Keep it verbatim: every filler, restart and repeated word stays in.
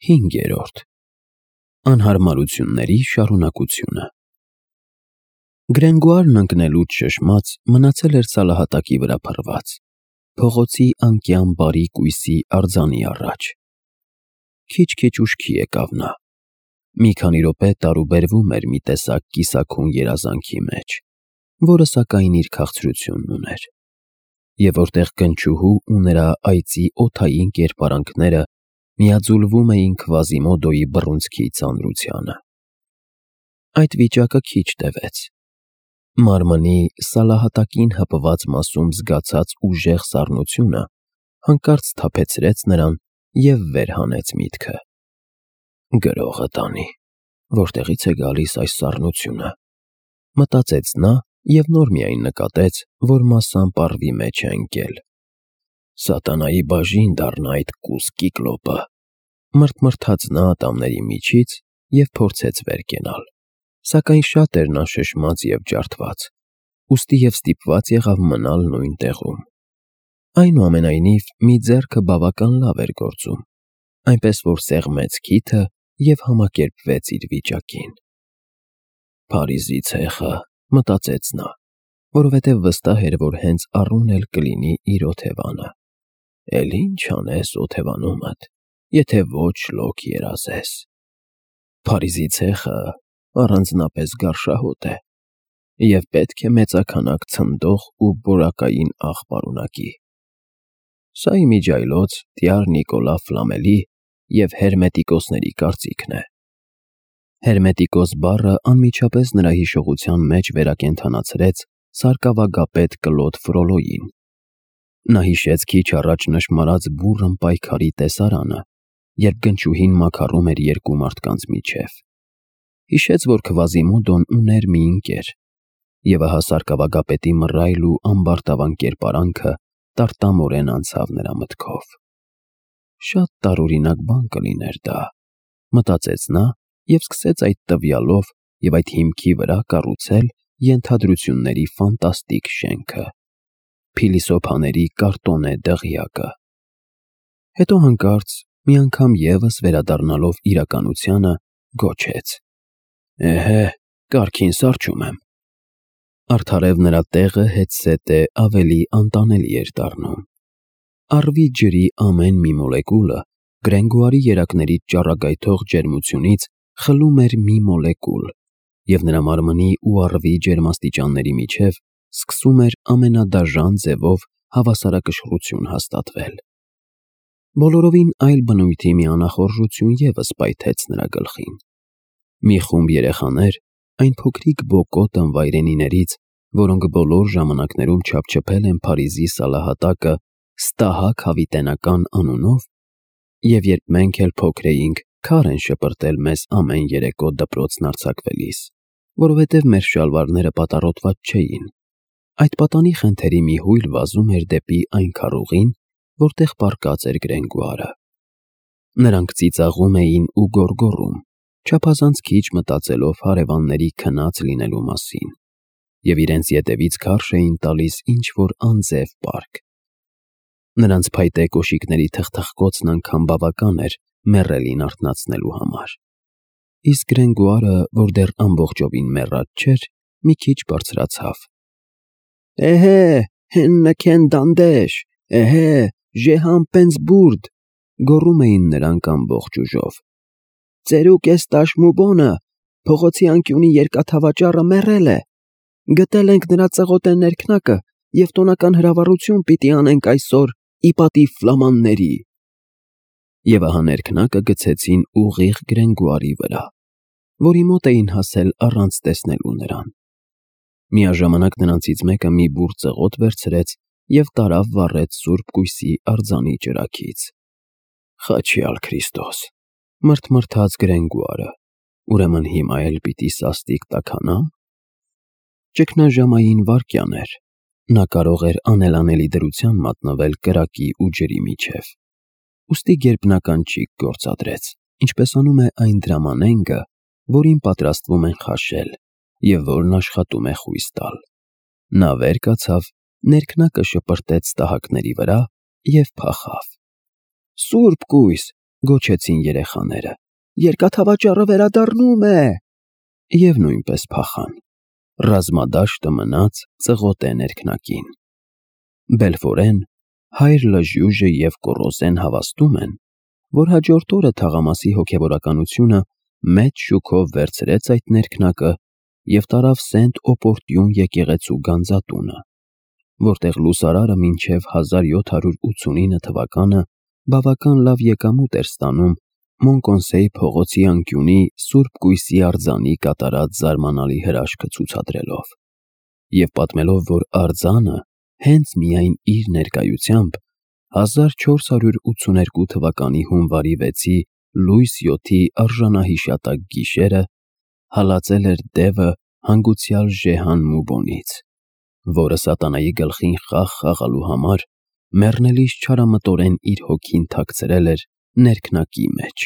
Հինգերորդ Անհարմարությունների շարունակությունը Գրենգոարն ընկնելուց շշմած մնացել էր սալահատակի վրա փռված, փողոցի անկյան բարի կույսի արձանի առաջ։ Քիչ-քիչ ուշքի եկավ նա։ Մի քանի րոպե տարուբերվում էր մի տեսակ կիսաքուն երազանքի մեջ, որը սակայն իր քաղցրությունն ուներ, և որտեղ կնճուհու ու նրա այծի օդային կերպարանքները միաձուլվում էին Քվազիմոդոյի բռունցքի ծանրությանը։ Այդ վիճակը քիչ տևեց։ Մարմնի սալահատակին հպված մասում զգացած ուժեղ սառնությունը հանկարծ սթափեցրեց նրան և վեր հանեց միտքը։ «Գրողը տանի, որտեղի՞ց է գալիս այս սառնությունը», մտածեց նա և նոր միայն նկատեց, որ մասամբ առվի մեջ է ընկել։ «Սատանայի բաժին դառնա այդ կուս կիկլոպը», մռթմռթաց նա ատամների միջից և փորձեց վեր կենալ, սակայն շատ էր նա շշմած և ջարդված, ուստի և ստիպված եղավ մնալ նույն տեղում։ Այնուամենայնիվ, մի ձեռքը բավական լավ էր գործում, այնպես որ սեղմեց քիթը և համակերպվեց իր վիճակին։ «Փարիզի ցեխը», մտածեց նա, որովհետև վստահ էր, որ հենց առուն էլ կլինի իր օթևանը։ «Էլ ի՞նչ անես օթևանումդ, եթե ոչ շլոք երազես։ Փարիզի ցեխը առանձնապես գարշահոտ է և պետք է մեծաքանակ ցնդող ու բորակային աղ պարունակի։ Սա իմիջիայլոց տյար Նիկոլա Ֆլամելի և հերմետիկոսների կարծիքն է»։ Հերմետիկոս բառը անմիջապես նրա հիշողության մեջ վերակենդանացրեց սարկավագապետ Կլոդ Ֆրոլոյին։ Նա հիշեց քիչ առաջ նշմարած բուռն պայքարի տեսարանը, երբ գնճուհին մաքարում էր երկու մարդկանց միջև։ Հիշեց, որ Քվազիմոդոն ուներ մի ընկեր, և ահա սարկավագապետի մռայլ ու ամբարտավան կերպարանքը տարտամորեն անցավ նրա մտքով։ «Շատ տարօրինակ բան կլիներ դա», մտածեց նա և սկսեց այդ տվյալով և այդ հիմքի վրա կառուցել ենթադրությունների ֆանտաստիկ շենքը՝ փիլիսոփաների կարտոնե դղյակը։ Հետո հանկարծ, մի անգամ ևս վերադառնալով իրականությանը, գոչեց. «Էհե, կարգին սառչում եմ»։ Արդարև նրա տեղը հետզհետե ավելի անտանելի էր դառնում։ Առվի ջրի ամեն մի մոլեկուլը Գրենգոարի երակներից ճառագայթող ջերմությունից խլում էր մի մոլեկուլ, և նրա մարմնի ու առվի ջերմաստիճանների միջև սկսում էր ամենադաժան ձևով հավասարակշռություն հաստատվել։ Բոլորովին այլ բնույթի մի անախորժություն ևս պայթեց նրա գլխին։ Մի խումբ երեխաներ, այն փոքրիկ բոկոտ ընվայրենիներից, որոնք բոլոր ժամանակներում չափչփել են Փարիզի սալահատակը «Ստահակ հավիտենական» անունով, և երբ մենք էլ փոքր էինք, քար են շպրտել մեզ ամեն երեկո դպրոցն արձակվելիս, որովհետև մեր շալվարները պատառոտված չէին, այդ պատանի խենթերի մի հույլ վազում էր դեպի այն քառուղին, որտեղ պառկած էր Գրենգոարը։ Նրանք ծիծաղում էին ու գոռգոռում, չափազանց քիչ մտածելով հարևանների քնած լինելու մասին, և իրենց ետևից քարշ էին տալիս ինչ-որ անձև պարկ։ Նրանց փայտե կոշիկների թխթխկոցն անգամ բավական էր մեռելին արթնացնելու համար։ Իսկ Գրենգոարը, որ դեռ ամբողջովին մեռած չէր, մի քիչ բարձրացավ։ «Էհե, հեննքեն դանդեշ, էհե, ժեհան պենսբուրդ», գոռում էին նրանք ամբողջ ուժով։ «Ծերուկ էս տաշմուբոնը, փողոցի անկյունի երկաթավաճառը մեռել է։ Գտել ենք նրա ծղոտե ներքնակը և տոնական հրավառություն պիտի անենք այսօր ի պատիվ ֆլամանների»։ Եվ ահա ներքնակը գցեցին ուղիղ Գրենգոարի վրա, որի մոտ էին հասել առանց տեսնելու նրան։ Միաժամանակ նրանցից մեկը մի բուռ ծղոտ վերցրեց և տարավ վառեց սուրբ կույսի արձանի ճրագից։ «Խաչյալ Քրիստոս», մռթմռթաց Գրենգոարը, «ուրեմն հիմա էլ պիտի սաստիկ տաքանա՞մ»։ Ճգնաժամային վայրկյան էր։ Նա կարող էր անելանելի դրության մատնվել կրակի ու ջրի միջև, ուստի գերբնական ճիգ գործադրեց, ինչպես անում է այն դրամանենգը, որին պատրաստվում են խաշել և որն աշխատում է խույս տալ։ Նա վեր կացավ, ներքնակը շպրտեց ստահակների վրա և փախավ։ «Սուրբ կույս, Գոչեցին երեխաները. «Երկաթավաճառը վերադառնում է»։ Եվ նույնպես փախան։ Ռազմադաշտը մնաց ծղոտե ներքնակին։ Բելֆորեն, հայր Լժյուժը և Կոռոզեն հավաստում են, որ հաջորդ օրը թաղամասի հոգևորականությունը մեծ շուքով վերցրեց այդ ներքնակը և տարավ Սենտ Օպորտյուն եկեղեցու գանձատունը, որտեղ լուսարարը մինչև հազար յոթ հարյուր ութսունինը թվականը բավական լավ եկամուտ էր ստանում Մոնկոնսեի փողոցի անկյունի Սուրբ Կույսի արձանի կատարած զարմանալի հրաշքը ցուցադրելով, և պատմելով, որ արձանը հենց միայն իր ներկայությամբ հազար չորս հարյուր ութսուներկու թվականի հունվարի վեցի լույս յոթի արժանահիշատակ գիշերը հալածել էր դևը հանգուցյալ Ժեհան Մուբոնից, որը սատանայի գլխին խաղ խաղալու համար մեռնելիս չարամտորեն իր հոգին թաքցրել էր ներքնակի մեջ։